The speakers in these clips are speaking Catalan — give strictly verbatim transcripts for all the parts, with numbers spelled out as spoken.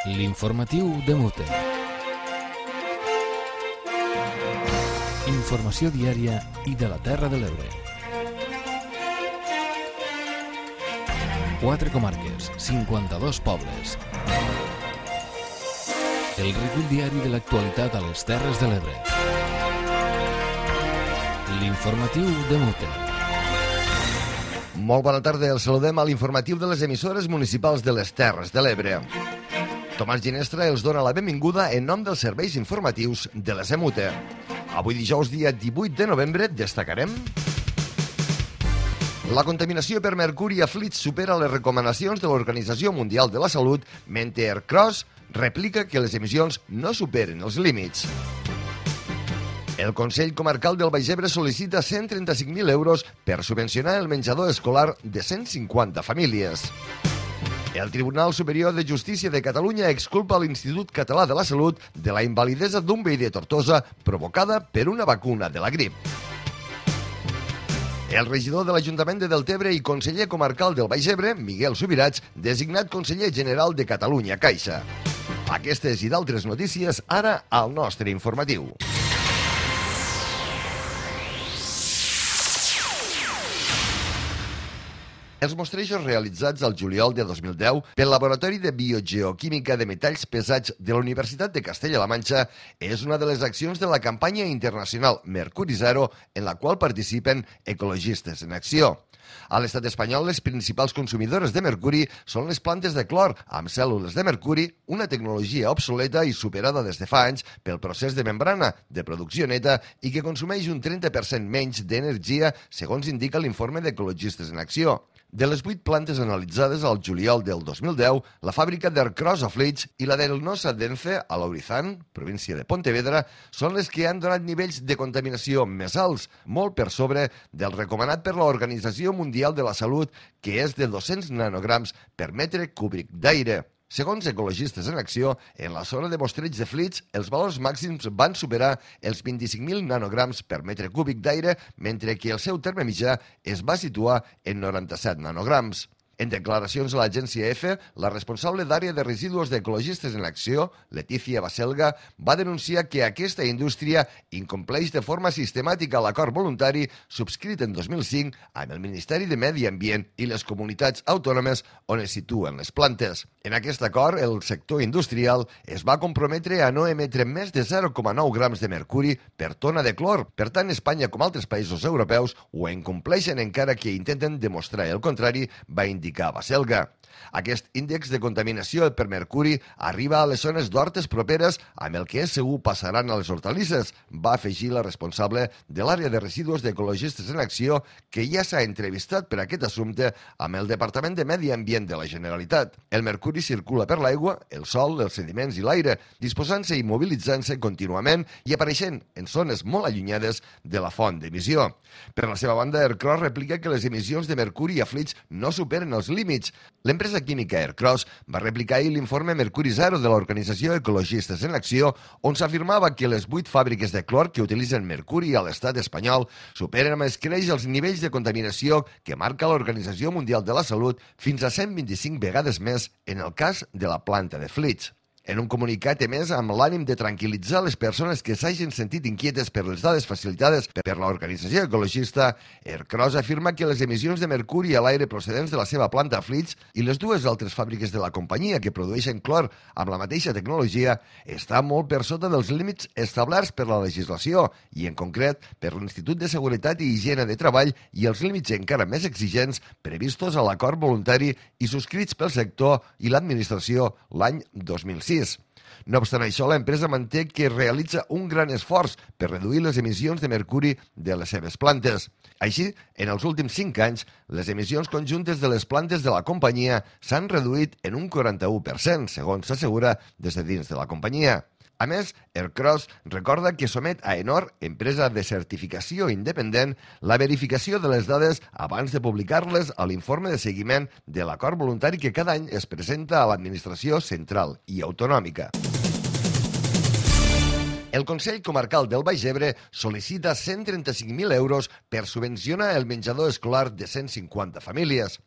L'informatiu de Mute. Informació diària i de la Terra de l'Ebre. Quatre comarques, cinquanta-dos pobles. El recull diari de l'actualitat a les Terres de l'Ebre. L'informatiu de Mute. Molt bona tarda, els saludem a l'informatiu de les emissores municipals de les Terres de l'Ebre. Tomàs Ginestra els dona la benvinguda en nom dels serveis informatius de la Semute. Avui dijous, dia divuit de novembre, destacarem: la contaminació per mercuri a Flix supera les recomanacions de l'Organització Mundial de la Salut, mentre Ercros replica que les emissions no superen els límits. El Consell Comarcal del Baix Ebre sol·licita cent trenta-cinc mil euros per subvencionar el menjador escolar de cent cinquanta famílies. El Tribunal Superior de Justícia de Catalunya exculpa l'Institut Català de la Salut de la invalidesa d'un veí de Tortosa provocada per una vacuna de la grip. El regidor de l'Ajuntament de Deltebre i conseller comarcal del Baix Ebre, Miguel Subirats, designat conseller general de Catalunya Caixa. Aquestes i d'altres notícies ara al nostre informatiu. Els mostrejos realitzats al juliol de dos mil deu pel Laboratori de Biogeoquímica de Metalls Pesats de la Universitat de Castella-La Manxa és una de les accions de la campanya internacional Mercuri Zero, en la qual participen ecologistes en acció. A l'estat espanyol, les principals consumidores de mercuri són les plantes de clor amb cèl·lules de mercuri, una tecnologia obsoleta i superada des de fa anys pel procés de membrana de producció neta i que consumeix un trenta per cent menys d'energia, segons indica l'informe d'Ecologistes en Acció. De les vuit plantes analitzades al juliol del dos mil deu, la fàbrica d'Ercros a Flix i la del Nosa Dence a l'Aurizán, província de Pontevedra, són les que han donat nivells de contaminació més alts, molt per sobre del recomanat per l'Organització Mundial de la Salut, que és de dos-cents nanograms per metre cúbic d'aire. Segons Ecologistes en Acció, en la zona de mostreig de Flix, els valors màxims van superar els vint-i-cinc mil nanograms per metre cúbic d'aire, mentre que el seu terme mitjà es va situar en noranta-set nanograms. En declaracions a l'agència EFE, la responsable d'àrea de residus d'Ecologistes en Acció, Letícia Baselga, va denunciar que aquesta indústria incompleix de forma sistemàtica l'acord voluntari subscrit en dos mil cinc amb el Ministeri de Medi Ambient i les comunitats autònomes on es situen les plantes. En aquest acord, el sector industrial es va comprometre a no emetre més de zero coma nou grams de mercuri per tona de clor. Per tant, Espanya, com altres països europeus, ho incompleixen encara que intenten demostrar el contrari, va indicar Baselga. Aquest índex de contaminació per mercuri arriba a les zones d'hortes properes, amb el que és segur passaran a les hortalisses, va afegir la responsable de l'àrea de residus d'Ecologistes en Acció, que ja s'ha entrevistat per aquest assumpte amb el Departament de Medi Ambient de la Generalitat. El mercuri circula per l'aigua, el sol, els sediments i l'aire, disposant-se i mobilitzant-se contínuament i apareixent en zones molt allunyades de la font d'emissió. Per la seva banda, Ercros replica que les emissions de mercuri a Flix no superen els límits. L'empresa química Ercros va replicar ahir l'informe Mercuri Zero de l'Organització Ecologistes en Acció, on s'afirmava que les vuit fàbriques de clor que utilitzen mercuri a l'estat espanyol superen amb escreix els nivells de contaminació que marca l'Organització Mundial de la Salut fins a cent vint-i-cinc vegades més en el cas de la planta de Flix. En un comunicat emès amb l'ànim de tranquil·litzar les persones que s'hagin sentit inquietes per les dades facilitades per l'organització ecologista, Ercros afirma que les emissions de mercuri a l'aire procedents de la seva planta a Flix i les dues altres fàbriques de la companyia que produeixen clor amb la mateixa tecnologia estan molt per sota dels límits establerts per la legislació i, en concret, per l'Institut de Seguretat i Higiene de Treball i els límits encara més exigents previstos a l'acord voluntari i subscrits pel sector i l'administració l'any dos mil sis. No obstant això, l'empresa manté que realitza un gran esforç per reduir les emissions de mercuri de les seves plantes. Així, en els últims cinc anys, les emissions conjuntes de les plantes de la companyia s'han reduït en un quaranta-u per cent, segons s'assegura des de dins de la companyia. A més, Ercros recorda que somet a Enor, empresa de certificació independent, la verificació de les dades abans de publicar-les a l'informe de seguiment de l'acord voluntari que cada any es presenta a l'administració central i autonòmica. El Consell Comarcal del Baix Ebre sol·licita cent trenta-cinc mil euros per subvencionar el menjador escolar de cent cinquanta famílies.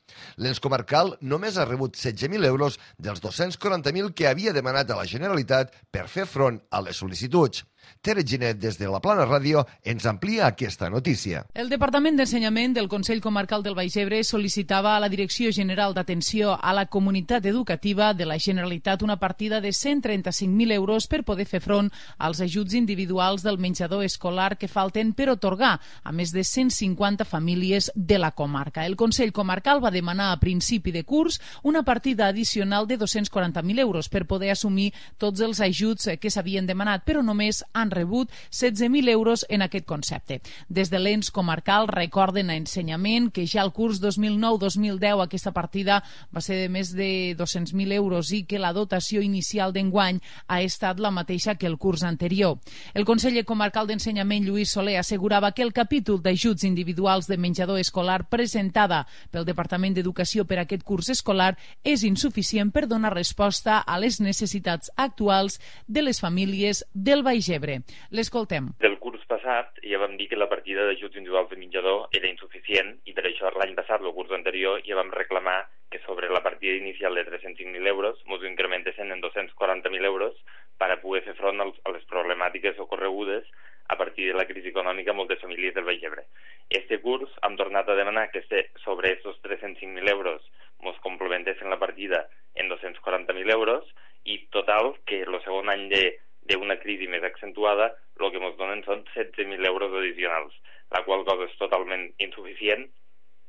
L'ens comarcal només ha rebut setze mil euros dels dos-cents quaranta mil que havia demanat a la Generalitat per fer front a les sol·licituds. Tere Ginet, des de la Plana Ràdio, ens amplia aquesta notícia. El Departament d'Ensenyament del Consell Comarcal del Baix Ebre sol·licitava a la Direcció General d'Atenció a la Comunitat Educativa de la Generalitat una partida de cent trenta-cinc mil euros per poder fer front als ajuts individuals del menjador escolar que falten per otorgar a més de cent cinquanta famílies de la comarca. El Consell Comarcal va demanar a principi de curs una partida addicional de dos-cents quaranta mil euros per poder assumir tots els ajuts que s'havien demanat, però només han rebut setze mil euros en aquest concepte. Des de l'ens comarcal recorden a Ensenyament que ja el curs dos mil nou dos mil deu aquesta partida va ser de més de dos-cents mil euros i que la dotació inicial d'enguany ha estat la mateixa que el curs anterior. El conseller comarcal d'Ensenyament, Lluís Soler, assegurava que el capítol d'ajuts individuals de menjador escolar presentada pel Departament d'Educació per aquest curs escolar és insuficient per donar resposta a les necessitats actuals de les famílies del Baix Ebre. L'escoltem. Del curs passat ja vam dir que la partida d'ajuts individuals de menjador era insuficient i per això l'any passat, el curs anterior, ja vam reclamar que sobre la partida inicial de tres-cents cinc mil euros ens incrementessin en dos-cents quaranta mil euros per a poder fer front a les problemàtiques ocorregudes a partir de la crisi econòmica a moltes famílies del Baix Ebre. Este curs hem tornat a demanar que sobre aquests tres-cents cinc mil euros ens complementessin la partida en dos-cents quaranta mil euros i total que el segon any de d'una crisi més accentuada, el que ens donen són setze mil euros addicionals, la qual cosa és totalment insuficient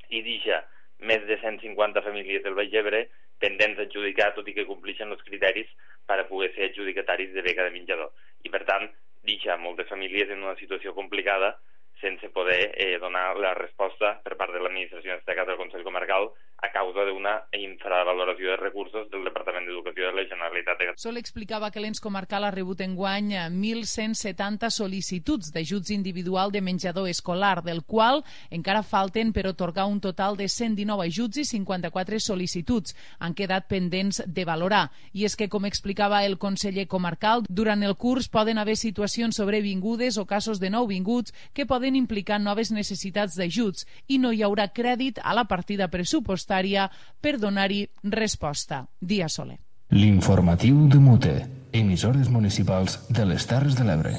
i deixa més de cent cinquanta famílies del Baix Ebre pendents d'adjudicar, tot i que compleixen els criteris per a poder ser adjudicataris de beca de menjador. I, per tant, deixa moltes famílies en una situació complicada sense poder eh, donar la resposta per part de l'administració, en aquest cas del Consell Comarcal, a causa d'una infravaloració de recursos del Departament d'Educació de la Generalitat de Catalunya. Sol explicava que l'ens comarcal ha rebut enguany mil cent setanta sol·licituds d'ajuts individual de menjador escolar, del qual encara falten per otorgar un total de cent dinou ajuts i cinquanta-quatre sol·licituds. Han quedat pendents de valorar. I és que, com explicava el conseller comarcal, durant el curs poden haver situacions sobrevingudes o casos de nouvinguts que poden implicar noves necessitats d'ajuts i no hi haurà crèdit a la partida pressupostària per donar-hi resposta. Dia Soler. L'informatiu de Mute, emissores municipals de les Terres de l'Ebre.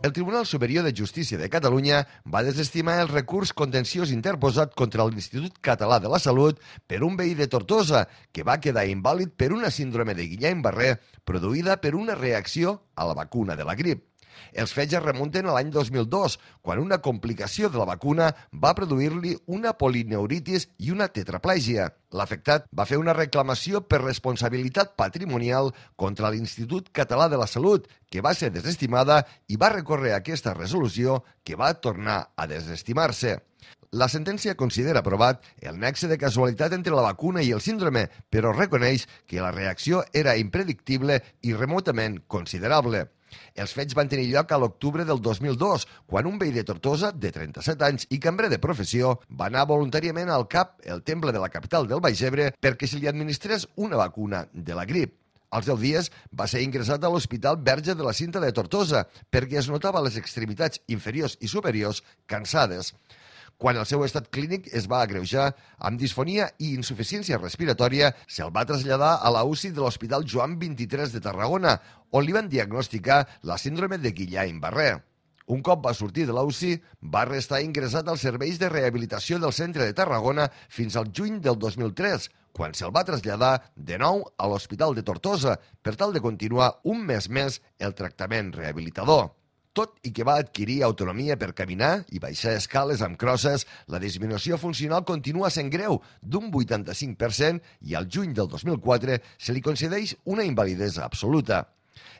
El Tribunal Superior de Justícia de Catalunya va desestimar el recurs contenciós interposat contra l'Institut Català de la Salut per un veí de Tortosa que va quedar invàlid per una síndrome de Guillain-Barré produïda per una reacció a la vacuna de la grip. Els fets es remunten a l'any dos mil dos, quan una complicació de la vacuna va produir-li una polineuritis i una tetraplègia. L'afectat va fer una reclamació per responsabilitat patrimonial contra l'Institut Català de la Salut, que va ser desestimada i va recórrer aquesta resolució que va tornar a desestimar-se. La sentència considera aprovat el nexe de casualitat entre la vacuna i el síndrome, però reconeix que la reacció era impredictible i remotament considerable. Els fets van tenir lloc a l'octubre del dos mil dos, quan un veí de Tortosa, de trenta-set anys i cambrer de professió, va anar voluntàriament al C A P, el temple de la capital del Baix Ebre, perquè se li administrés una vacuna de la grip. Als deu dies va ser ingressat a l'Hospital Verge de la Cinta de Tortosa perquè es notava les extremitats inferiors i superiors cansades. Quan el seu estat clínic es va agreujar amb disfonia i insuficiència respiratòria, se'l va traslladar a la U C I de l'Hospital Joan vint-i-tres de Tarragona, on li van diagnosticar la síndrome de Guillain-Barré. Un cop va sortir de la U C I, va restar ingressat als serveis de rehabilitació del centre de Tarragona fins al juny del dos mil tres, quan se'l va traslladar de nou a l'Hospital de Tortosa per tal de continuar un mes més el tractament rehabilitador. Tot i que va adquirir autonomia per caminar i baixar escales amb crosses, la disminució funcional continua sent greu, d'un vuitanta-cinc per cent, i al juny del dos mil quatre se li concedeix una invalidesa absoluta.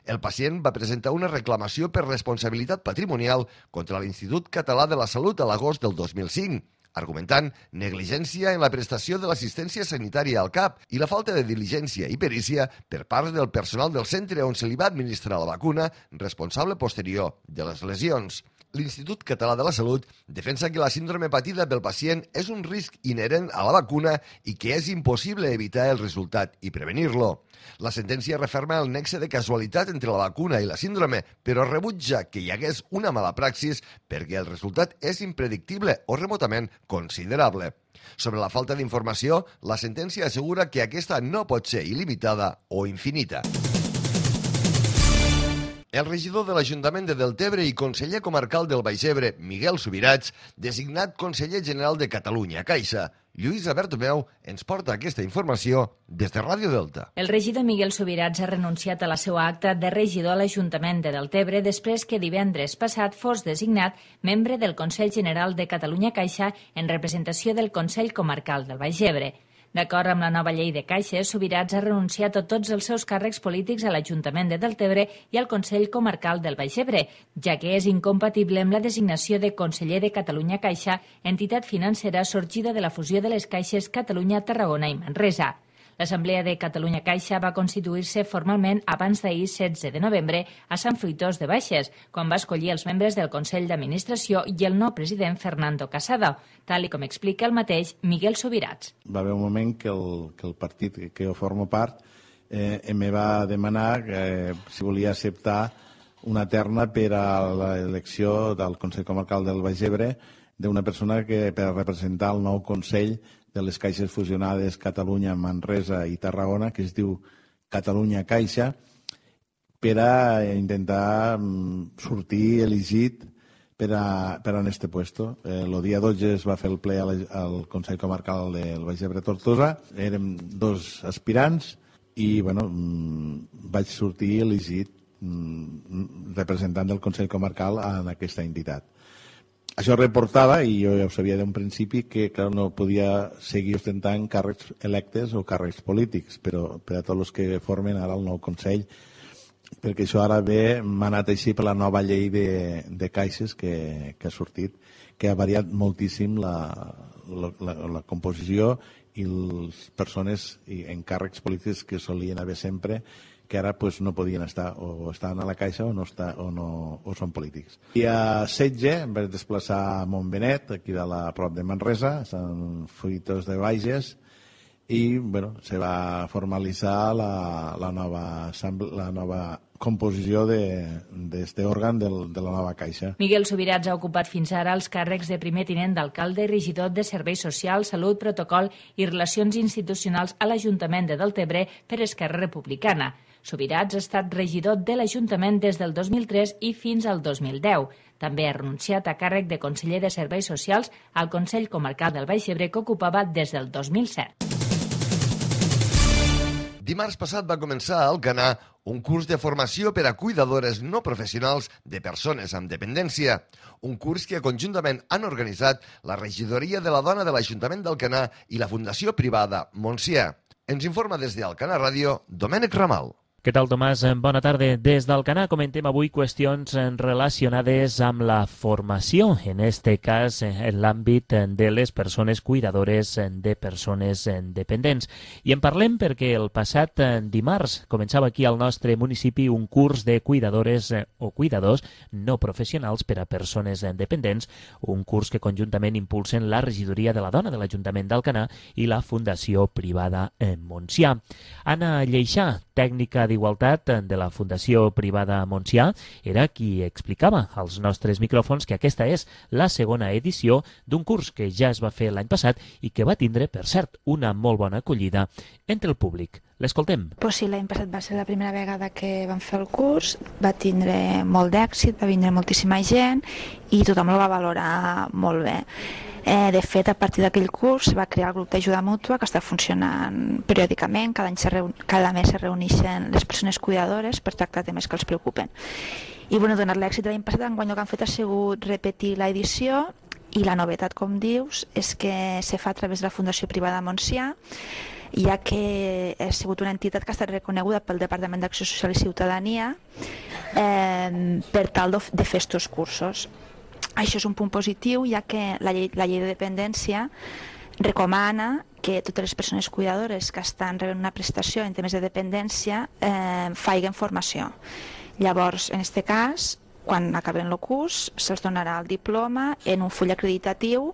El pacient va presentar una reclamació per responsabilitat patrimonial contra l'Institut Català de la Salut a l'agost del dos mil cinc, argumentant negligència en la prestació de l'assistència sanitària al C A P i la falta de diligència i perícia per part del personal del centre on se li va administrar la vacuna, responsable posterior de les lesions. L'Institut Català de la Salut defensa que la síndrome patida pel pacient és un risc inherent a la vacuna i que és impossible evitar el resultat i prevenir-lo. La sentència referma el nexe de casualitat entre la vacuna i la síndrome, però rebutja que hi hagués una mala praxis perquè el resultat és impredictible o remotament considerable. Sobre la falta d'informació, la sentència assegura que aquesta no pot ser il·limitada o infinita. El regidor de l'Ajuntament de Deltebre i conseller comarcal del Baix Ebre, Miguel Subirats, designat conseller general de Catalunya Caixa, Lluïsa Bertomeu, ens porta aquesta informació des de Ràdio Delta. El regidor Miguel Subirats ha renunciat a la seva acta de regidor a l'Ajuntament de Deltebre després que divendres passat fos designat membre del Consell General de Catalunya Caixa en representació del Consell Comarcal del Baix Ebre. D'acord amb la nova llei de caixes, Subirats ha renunciat a tots els seus càrrecs polítics a l'Ajuntament de Deltebre i al Consell Comarcal del Baix Ebre, ja que és incompatible amb la designació de conseller de Catalunya Caixa, entitat financera sorgida de la fusió de les caixes Catalunya, Tarragona i Manresa. L'Assemblea de Catalunya Caixa va constituir-se formalment abans d'ahir, setze de novembre, a Sant Fruitós de Baixes, quan va escollir els membres del Consell d'Administració i el nou president Fernando Casado, tal i com explica el mateix Miguel Subirats. Va haver un moment que el, que el partit que jo formo part eh, em va demanar eh, si volia acceptar una terna per a l'elecció del Consell Comarcal del Baix Ebre d'una persona que per a representar el nou Consell de les caixes fusionades Catalunya, Manresa i Tarragona, que es diu Catalunya Caixa, per a intentar sortir elegit per a, per a este puesto. El eh, dia dotze es va fer el ple al, al Consell Comarcal del Baix Ebre Tortosa. Érem dos aspirants i bueno, vaig sortir elegit representant del Consell Comarcal en aquesta entitat. Això reportava, i jo ja ho sabia d'un principi, que clar, no podia seguir ostentant càrrecs electes o càrrecs polítics, però per a tots els que formen ara el nou Consell, perquè això ara ve manat així per la nova llei de, de caixes que, que ha sortit, que ha variat moltíssim la, la, la, la composició i les persones i encàrrecs polítics que solien haver sempre, que ara pues, no podien estar, o estan a la Caixa o no, està, o no o són polítics. I a setze em vaig desplaçar a Montbenet, aquí de la prop de Manresa, a Sant Fruitós de Baixes, i bueno, se va formalitzar la, la, nova, la nova composició d'aquest òrgan de, de la nova Caixa. Miguel Subirats ha ocupat fins ara els càrrecs de primer tinent d'alcalde i regidor de Serveis Socials, Salut, Protocol i Relacions Institucionals a l'Ajuntament de Deltebre per Esquerra Republicana. Subirats ha estat regidor de l'Ajuntament des del dos mil tres i fins al dos mil deu. També ha renunciat a càrrec de conseller de Serveis Socials al Consell Comarcal del Baix Ebre que ocupava des del dos mil set. Dimarts passat va començar a Alcanar un curs de formació per a cuidadores no professionals de persones amb dependència. Un curs que conjuntament han organitzat la Regidoria de la Dona de l'Ajuntament d'Alcanar i la Fundació Privada Montsià. Ens informa des d'Alcanar Ràdio, Domènec Ramal. Què tal, Tomàs? Bona tarda. Des d'Alcanar comentem avui qüestions relacionades amb la formació, en este cas en l'àmbit de les persones cuidadores de persones dependents. I en parlem perquè el passat dimarts començava aquí al nostre municipi un curs de cuidadores o cuidadors no professionals per a persones dependents, un curs que conjuntament impulsen la Regidoria de la Dona de l'Ajuntament d'Alcanar i la Fundació Privada Montsià. Anna Lleixà, tècnica d'Igualtat de la Fundació Privada Montsià, era qui explicava als nostres micròfons que aquesta és la segona edició d'un curs que ja es va fer l'any passat i que va tindre, per cert, una molt bona acollida entre el públic. L'escoltem. Pues sí, l'any passat va ser la primera vegada que vam fer el curs, va tindre molt d'èxit, va vindre moltíssima gent i tothom el va valorar molt bé. Eh, de fet, a partir d'aquell curs va crear el grup d'ajuda mútua que està funcionant periòdicament, cada, any se reun... cada mes se reuneixen les persones cuidadores per tractar temes que els preocupen. I bueno, donat l'èxit de l'any passat, enguany el que han fet ha sigut repetir l'edició i la novetat, com dius, és que se fa a través de la Fundació Privada Montsià, ja que ha sigut una entitat que ha estat reconeguda pel Departament d'Acció Social i Ciutadania eh, per tal de fer estos cursos. Això és un punt positiu, ja que la llei, la llei de dependència recomana que totes les persones cuidadores que estan rebent una prestació en temes de dependència eh, faiguen formació. Llavors, en aquest cas, quan acaben el curs se'ls donarà el diploma en un full acreditatiu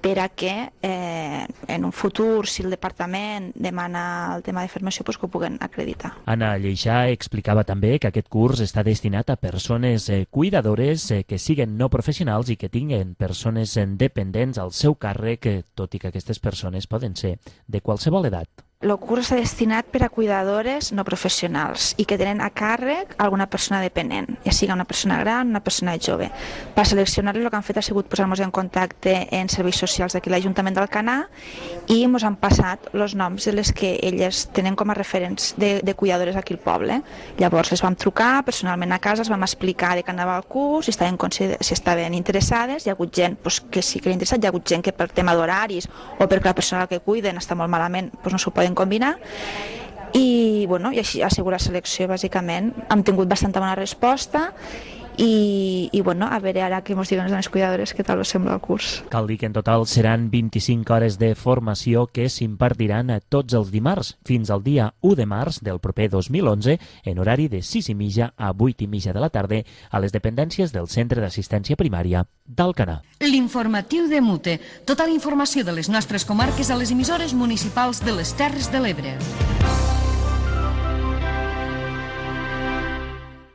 per a que eh, en un futur, si el departament demana el tema de formació, pues que ho puguen acreditar. Anna Lleixà explicava també que aquest curs està destinat a persones eh, cuidadores eh, que siguen no professionals i que tinguen persones eh, dependents al seu càrrec, eh, tot i que aquestes persones poden ser de qualsevol edat. El curs està destinat per a cuidadores no professionals i que tenen a càrrec alguna persona dependent, ja sigui una persona gran o una persona jove. Per seleccionar-les el que han fet ha sigut posar-nos en contacte en serveis socials d'aquí l'Ajuntament d'Alcanar i ens han passat els noms de les que elles tenen com a referents de, de cuidadores aquí al poble. Llavors les vam trucar personalment a casa, els vam explicar de què anava el curs, si estaven, si estaven interessades, hi ha hagut gent pues, que sí que era interessat, hi ha hagut gent que per tema d'horaris o perquè la persona que cuiden està molt malament pues, no s'ho poden combinar i, bueno, i així ha sigut la selecció bàsicament. Hem tingut bastanta bona resposta i, i bueno, a veure ara què ens diuen les cuidadores què tal us sembla el curs. Cal dir que en total seran vint-i-cinc hores de formació que s'impartiran tots els dimarts fins al dia u de març del proper dos mil onze en horari de sis i mitja a vuit i mitja de la tarda a les dependències del Centre d'Assistència Primària d'Alcanar. L'informatiu de Mute. Tota la informació de les nostres comarques a les emissores municipals de les Terres de l'Ebre.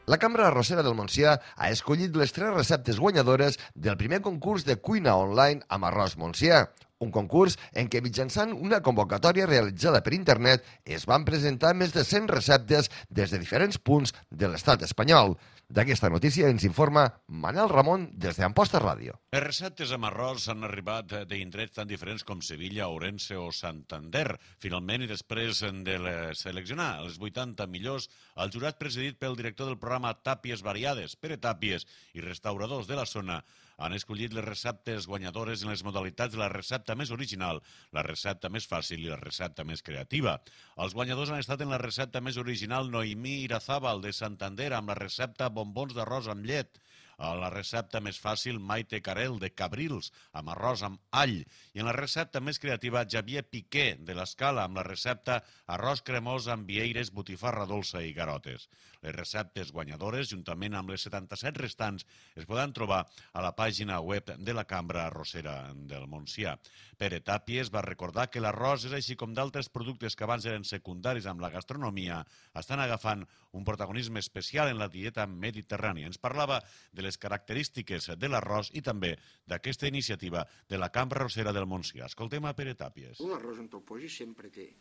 La Cambra Arrossera del Montsià ha escollit les tres receptes guanyadores del primer concurs de cuina online amb arròs montsià. Un concurs en què mitjançant una convocatòria realitzada per internet es van presentar més de cent receptes des de diferents punts de l'estat espanyol. D'aquesta notícia ens informa Manel Ramon des d'Amposta Ràdio. Les receptes amb arròs han arribat d'indrets tan diferents com Sevilla, Ourense o Santander. Finalment, i després de seleccionar els vuitanta millors, el jurat presidit pel director del programa Tàpies Variades, Pere Tàpies, i restauradors de la zona, han escollit les receptes guanyadores en les modalitats de la recepta més original, la recepta més fàcil i la recepta més creativa. Els guanyadors han estat en la recepta més original Noemí Irazábal de Santander amb la recepta bombons d'arròs amb llet, a la recepta més fàcil Maite Carel de Cabrils amb arròs amb all i en la recepta més creativa Javier Piqué de l'Escala amb la recepta arròs cremós amb vieires, botifarra dolça i garotes. Les receptes guanyadores, juntament amb les setanta-set restants, es poden trobar a la pàgina web de la Cambra Arrossera del Montsià. Pere Tàpies va recordar que l'arròs és així com d'altres productes que abans eren secundaris amb la gastronomia, estan agafant un protagonisme especial en la dieta mediterrània. Ens parlava de les característiques de l'arròs i també d'aquesta iniciativa de la Cambra Arrossera del Montsià. Escoltem a Pere Tàpies. Un arròs on te'l posis sempre té,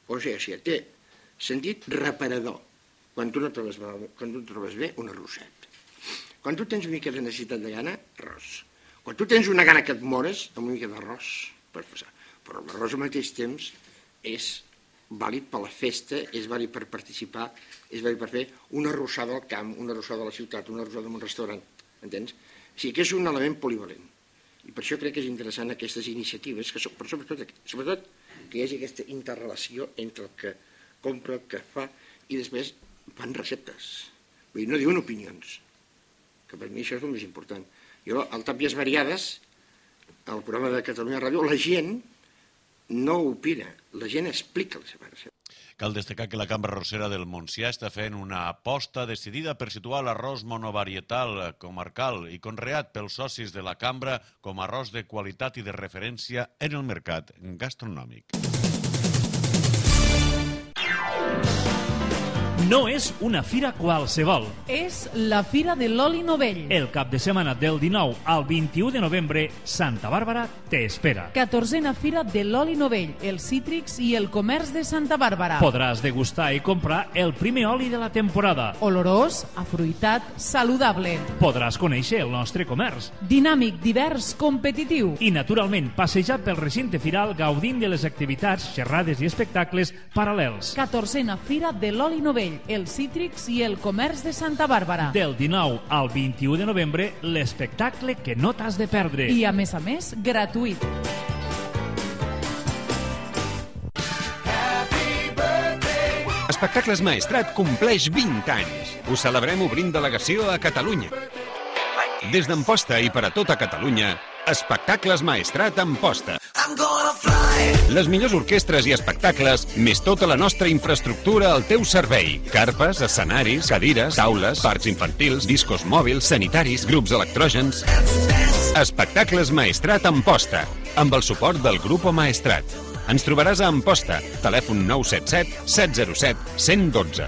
o sigui, té sentit reparador. Quan tu no trobes, quan tu trobes bé, un arrosset. Quan tu tens una mica de necessitat de gana, arròs. Quan tu tens una gana que et mores, amb una mica d'arròs, pots passar. Però l'arròs al mateix temps és vàlid per la festa, és vàlid per participar, és vàlid per fer una arrossada al camp, una arrossada a la ciutat, una arrossada en un restaurant, entens? O sigui que és un element polivalent. I per això crec que és interessant aquestes iniciatives, que són, però sobretot, sobretot que hi hagi aquesta interrelació entre el que compra, el que fa, i després fan receptes. Vull dir, no diuen opinions, que per mi això és el més important. Jo, al Tàpies Variades, al programa de Catalunya Ràdio, la gent no opina, la gent explica la seva recepta. Cal destacar que la Cambra Arrossera del Montsià està fent una aposta decidida per situar l'arròs monovarietal comarcal i conreat pels socis de la Cambra com a arròs de qualitat i de referència en el mercat gastronòmic. No és una fira qualsevol. És la Fira de l'Oli Novell. El cap de setmana del dinou al vint-i-u de novembre, Santa Bàrbara t'espera. catorzena Fira de l'Oli Novell, els cítrics i el comerç de Santa Bàrbara. Podràs degustar i comprar el primer oli de la temporada. Olorós, afruitat, saludable. Podràs conèixer el nostre comerç. Dinàmic, divers, competitiu. I, naturalment, passejar pel recinte firal gaudint de les activitats, xerrades i espectacles paral·lels. catorzena Fira de l'Oli Novell, els cítrics i el comerç de Santa Bàrbara. Del dinou al vint-i-u de novembre, l'espectacle que no t'has de perdre. I, a més a més, gratuït. Espectacles Maestrat compleix vint anys. Ho celebrem obrint delegació a Catalunya. Des d'Amposta i per a tota Catalunya, Espectacles Maestrat Amposta. Les millors orquestres i espectacles, més tota la nostra infraestructura al teu servei. Carpes, escenaris, cadires, taules, parcs infantils, discos mòbils, sanitaris, grups electrògens... Espectacles Maestrat Amposta, amb el suport del Grupo Maestrat. Ens trobaràs a Amposta, telèfon nou set set set zero set un zero un dos.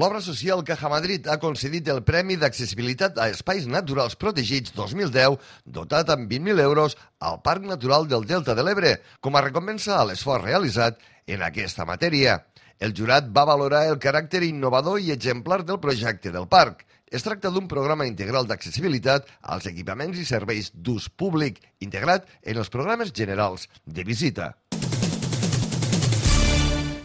L'obra social Caja Madrid ha concedit el Premi d'Accessibilitat a Espais Naturals Protegits dos mil deu, dotat amb vint mil euros al Parc Natural del Delta de l'Ebre, com a recompensa a l'esforç realitzat en aquesta matèria. El jurat va valorar el caràcter innovador i exemplar del projecte del parc. Es tracta d'un programa integral d'accessibilitat als equipaments i serveis d'ús públic, integrat en els programes generals de visita.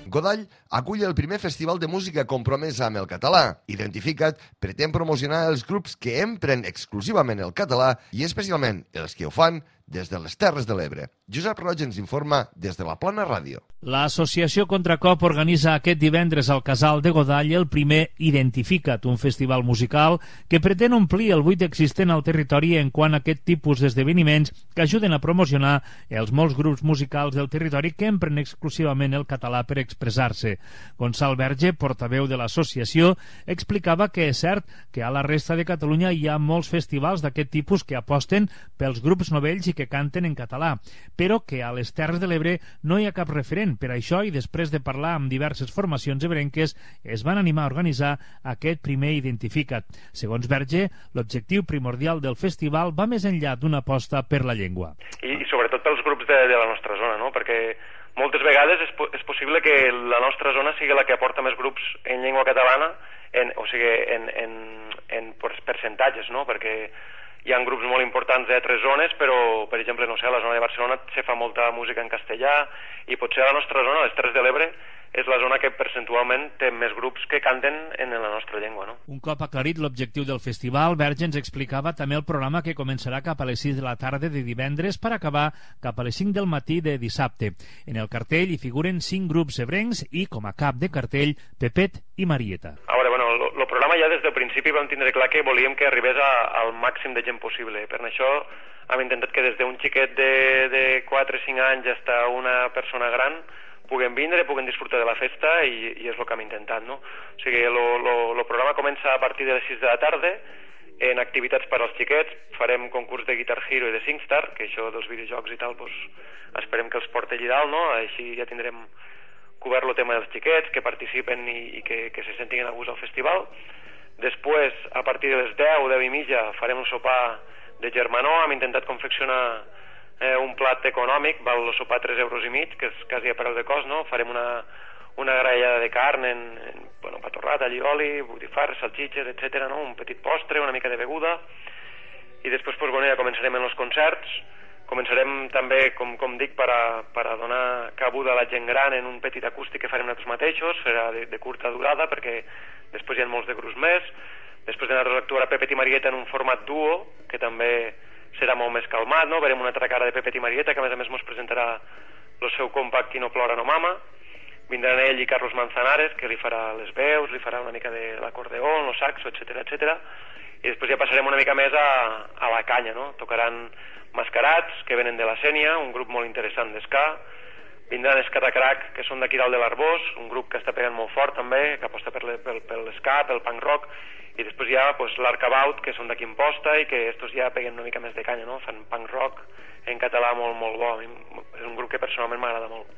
Godall acull el primer festival de música compromesa amb el català. Identificat, pretén promocionar els grups que empren exclusivament el català i especialment els que ho fan des de les Terres de l'Ebre. Josep Roig ens informa des de la Plana Ràdio. L'Associació Contracop organitza aquest divendres al Casal de Godall el primer Identifica't, un festival musical que pretén omplir el buit existent al territori en quant a aquest tipus d'esdeveniments que ajuden a promocionar els molts grups musicals del territori que empren exclusivament el català per expressar-se. Gonçal Verge, portaveu de l'associació, explicava que és cert que a la resta de Catalunya hi ha molts festivals d'aquest tipus que aposten pels grups novells i que canten en català, però que a les Terres de l'Ebre no hi ha cap referent. Per això, i després de parlar amb diverses formacions ebrenques, es van animar a organitzar aquest primer Identifica't. Segons Verge, l'objectiu primordial del festival va més enllà d'una aposta per la llengua. I, i sobretot pels grups de, de la nostra zona, no? Perquè moltes vegades és, és possible que la nostra zona sigui la que aporta més grups en llengua catalana, en, o sigui, en, en, en percentatges, no? Perquè hi ha grups molt importants d'altres zones, però, per exemple, no sé, a la zona de Barcelona se fa molta música en castellà i potser a la nostra zona, les Terres de l'Ebre, és la zona que percentualment té més grups que canten en la nostra llengua, no? Un cop aclarit l'objectiu del festival, Verge ens explicava també el programa que començarà cap a les sis de la tarda de divendres per acabar cap a les cinc del matí de dissabte. En el cartell hi figuren cinc grups ebrencs i, com a cap de cartell, Pepet i Marieta. A veure, bueno, el programa ja des del principi vam tindre clar que volíem que arribés a, al màxim de gent possible. Per això hem intentat que des d'un xiquet de, de quatre o cinc anys fins a una persona gran puguen vindre, puguen disfrutar de la festa i, i és el que hem intentat, no? O sigui, el programa comença a partir de les sis de la tarda en activitats per als xiquets. Farem concurs de Guitar Hero i de SingStar, que això dels videojocs i tal, pues, esperem que els porti allà dalt, no? Així ja tindrem cobert el tema dels xiquets, que participen i, i que, que se sentin a gust al festival. Després, a partir de les deu, deu i mitja, farem un sopar de germanor. Hem intentat confeccionar eh, un plat econòmic, val el sopar tres euros i mig, que és quasi a preu de cost, no? Farem una, una graellada de carn en, en bueno, patorrat, allioli, botifarres, salxitxes, etcètera, no? Un petit postre, una mica de beguda. I després, pues, bueno, ja començarem en els concerts. Començarem també, com, com dic, per a, per a donar cabuda a la gent gran en un petit acústic que farem nosaltres mateixos, serà de, de curta durada, perquè després hi ha molts de grups més. Després de nosaltres actuarà Pepet i Marieta en un format duo, que també serà molt més calmat, no? Verem una altra cara de Pepet i Marieta, que a més a més ens presentarà el seu compact Qui no plora no mama. Vindran ell i Carlos Manzanares, que li farà les veus, li farà una mica de l'acordeó, el saxo, etcètera, etcètera. I després ja passarem una mica més a, a la canya, no? Tocaran Mascarats, que venen de la Sénia, un grup molt interessant d'esca. Vindran Escatacrac, que són d'aquí dalt de l'Arbós, un grup que està pegant molt fort també, que aposta per l'esca, pel punk rock. I després hi ha pues, l'Arcabaut, que són d'aquí Imposta i que estos ja peguen una mica més de canya, no? Fan punk rock en català molt, molt bo. És un grup que personalment m'agrada molt.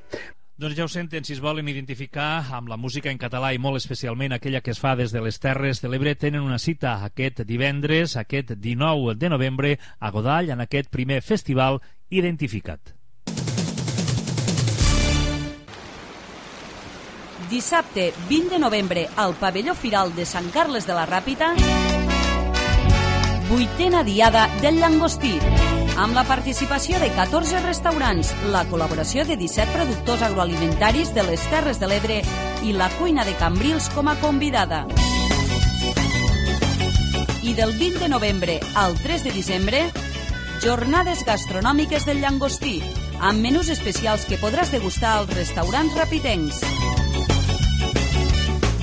Doncs ja ho senten, si es volen identificar amb la música en català i molt especialment aquella que es fa des de les Terres de l'Ebre, tenen una cita aquest divendres, aquest dinou de novembre, a Godall, en aquest primer festival Identifica't. Dissabte vint de novembre al pavelló Firal de Sant Carles de la Ràpita, vuitena diada del llangostí, amb la participació de catorze restaurants, la col·laboració de disset productors agroalimentaris de les Terres de l'Ebre i la cuina de Cambrils com a convidada. I del vint de novembre al tres de desembre, jornades gastronòmiques del llangostí, amb menús especials que podràs degustar als restaurants rapitencs.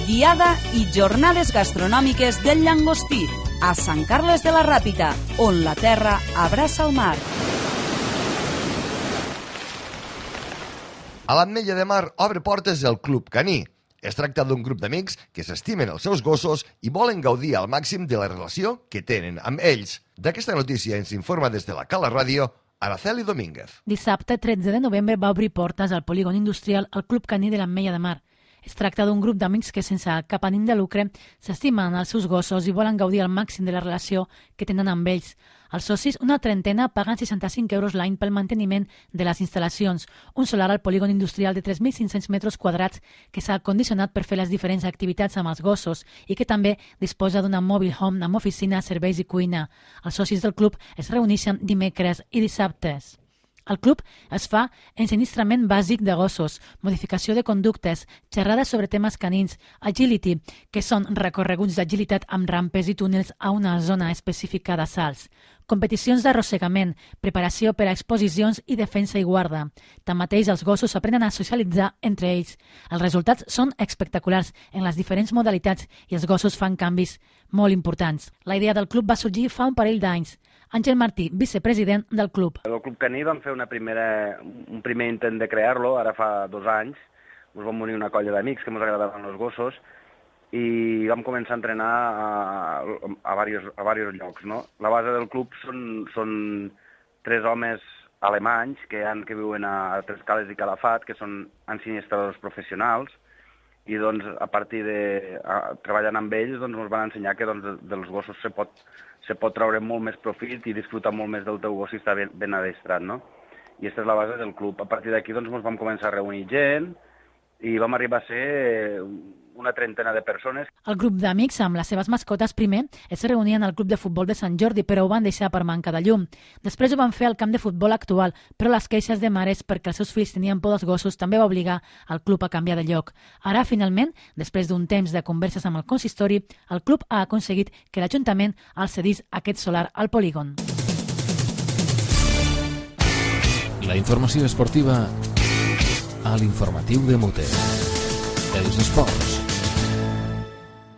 Diada i jornades gastronòmiques del llangostí, a Sant Carles de la Ràpita, on la terra abraça el mar. A l'Ametlla de Mar obre portes el Club Caní. Es tracta d'un grup d'amics que s'estimen els seus gossos i volen gaudir al màxim de la relació que tenen amb ells. D'aquesta notícia ens informa des de la Cala Ràdio Araceli Domínguez. Dissabte, tretze de novembre, va obrir portes al polígon industrial al Club Caní de l'Ametlla de Mar. Es tracta d'un grup d'amics que, sense cap ànim de lucre, s'estimen els seus gossos i volen gaudir al màxim de la relació que tenen amb ells. Els socis, una trentena, paguen seixanta-cinc euros l'any pel manteniment de les instal·lacions, un solar al polígon industrial de tres mil cinc-cents metres quadrats que s'ha condicionat per fer les diferents activitats amb els gossos i que també disposa d'una mobile home amb oficina, serveis i cuina. Els socis del club es reuneixen dimecres i dissabtes. El club es fa ensinistrament bàsic de gossos, modificació de conductes, xerrades sobre temes canins, agility, que són recorreguts d'agilitat amb rampes i túnels a una zona específica de salts, competicions d'arrossegament, preparació per a exposicions i defensa i guarda. Tanmateix, els gossos aprenen a socialitzar entre ells. Els resultats són espectaculars en les diferents modalitats i els gossos fan canvis molt importants. La idea del club va sorgir fa un parell d'anys. Àngel Martí, vicepresident del club. El Club Caní vam fer una primera, un primer intent de crear-lo, ara fa dos anys. Ens vam unir una colla d'amics que ens agradaven els gossos i vam començar a entrenar a, a, diversos, a diversos llocs. No? La base del club són, són tres homes alemanys que, han, que viuen a Tres Cales i Calafat, que són ensinistradors professionals, i doncs, a partir de a, treballant amb ells doncs, ens van ensenyar que doncs, dels gossos se pot, se pot treure molt més profit i disfrutar molt més del teu gos si està ben, ben adestrat, no? I aquesta és la base del club. A partir d'aquí doncs, ens vam començar a reunir gent i vam arribar a ser una trentena de persones. El grup d'amics amb les seves mascotes primer es reunien al club de futbol de Sant Jordi, però ho van deixar per manca de llum. Després ho van fer al camp de futbol actual, però les queixes de mares perquè els seus fills tenien por dels gossos també va obligar el club a canviar de lloc. Ara, finalment, després d'un temps de converses amb el consistori, el club ha aconseguit que l'Ajuntament els cedís aquest solar al polígon. La informació esportiva a l'informatiu de Mute. Els esports.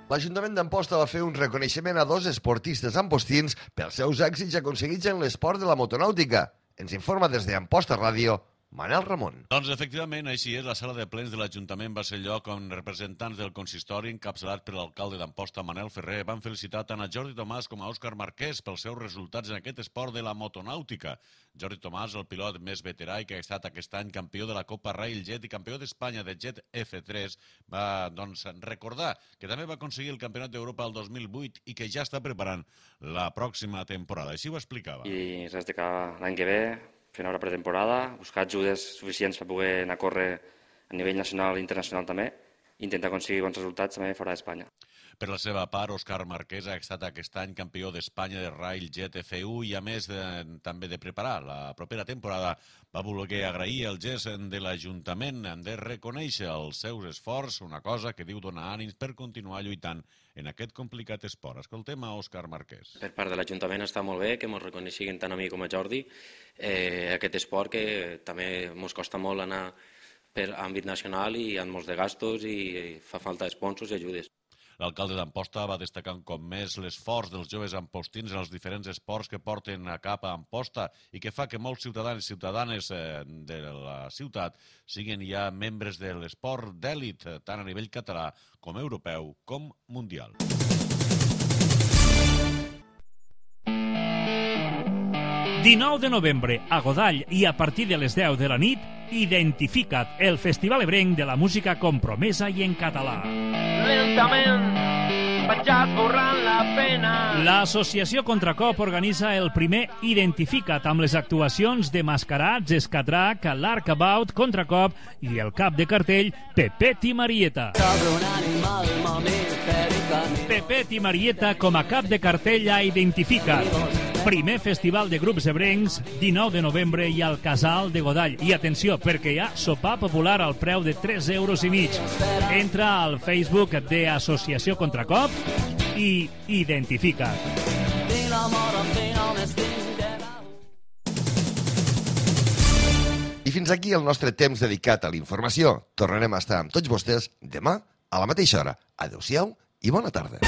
L'Ajuntament d'Amposta va fer un reconeixement a dos esportistes ampostins pels seus èxits aconseguits en l'esport de la motonàutica. Ens informa des d'Amposta Ràdio Manel Ramon. Doncs efectivament, així és. La sala de plens de l'Ajuntament va ser lloc on representants del consistori, encapçalat per l'alcalde d'Amposta, Manel Ferrer, van felicitar tant a Jordi Tomàs com a Òscar Marquès pels seus resultats en aquest esport de la motonàutica. Jordi Tomàs, el pilot més veterà i que ha estat aquest any campió de la Copa Railjet i campió d'Espanya de Jet F tres, va doncs, recordar que també va aconseguir el Campionat d'Europa el dos mil vuit i que ja està preparant la pròxima temporada. Així ho explicava. I res de que l'any que ve fer una pretemporada, buscar ajudes suficients per poder anar a córrer a nivell nacional i internacional també, i intentar aconseguir bons resultats també fora d'Espanya. Per la seva part, Òscar Marquès ha estat aquest any campió d'Espanya de Railjet F u i, a més de, també de preparar la propera temporada, va voler agrair el gest de l'Ajuntament de reconèixer els seus esforços, una cosa que diu donar ànims per continuar lluitant en aquest complicat esport. Escoltem a Òscar Marquès. Per part de l'Ajuntament està molt bé que ens reconeixin tant a mi com a Jordi eh, aquest esport que també ens costa molt anar per àmbit nacional i hi ha molts de gastos i fa falta sponsors i ajudes. L'alcalde d'Amposta va destacar un cop més l'esforç dels joves ampostins en els diferents esports que porten a cap a Amposta i que fa que molts ciutadans i ciutadanes de la ciutat siguin ja membres de l'esport d'èlit, tant a nivell català com europeu com mundial. dinou de novembre a Godall i a partir de les deu de la nit, Identifica't, el festival ebrenc de la música compromesa i en català. Lentament vaig esborrant la pena. L'Associació Contracop organitza el primer Identifica't amb les actuacions de Mascarats, Escatrac, l'Arcabout, Contracop i el cap de cartell Pepet i Marieta. Pepet i Marieta com a cap de cartell a Identifica't. Primer festival de grups ebrencs, dinou de novembre i al Casal de Godall. I atenció, perquè hi ha sopar popular al preu de tres euros i mig. Entra al Facebook de Associació Contracop i Identifica't. I fins aquí el nostre temps dedicat a la informació. Tornarem a estar amb tots vostès demà a la mateixa hora. Adéu-siau i bona tarda.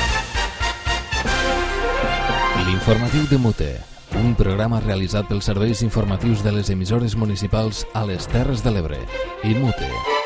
L'informatiu de Mute, un programa realitzat pels serveis informatius de les emissores municipals a les Terres de l'Ebre. I Mute.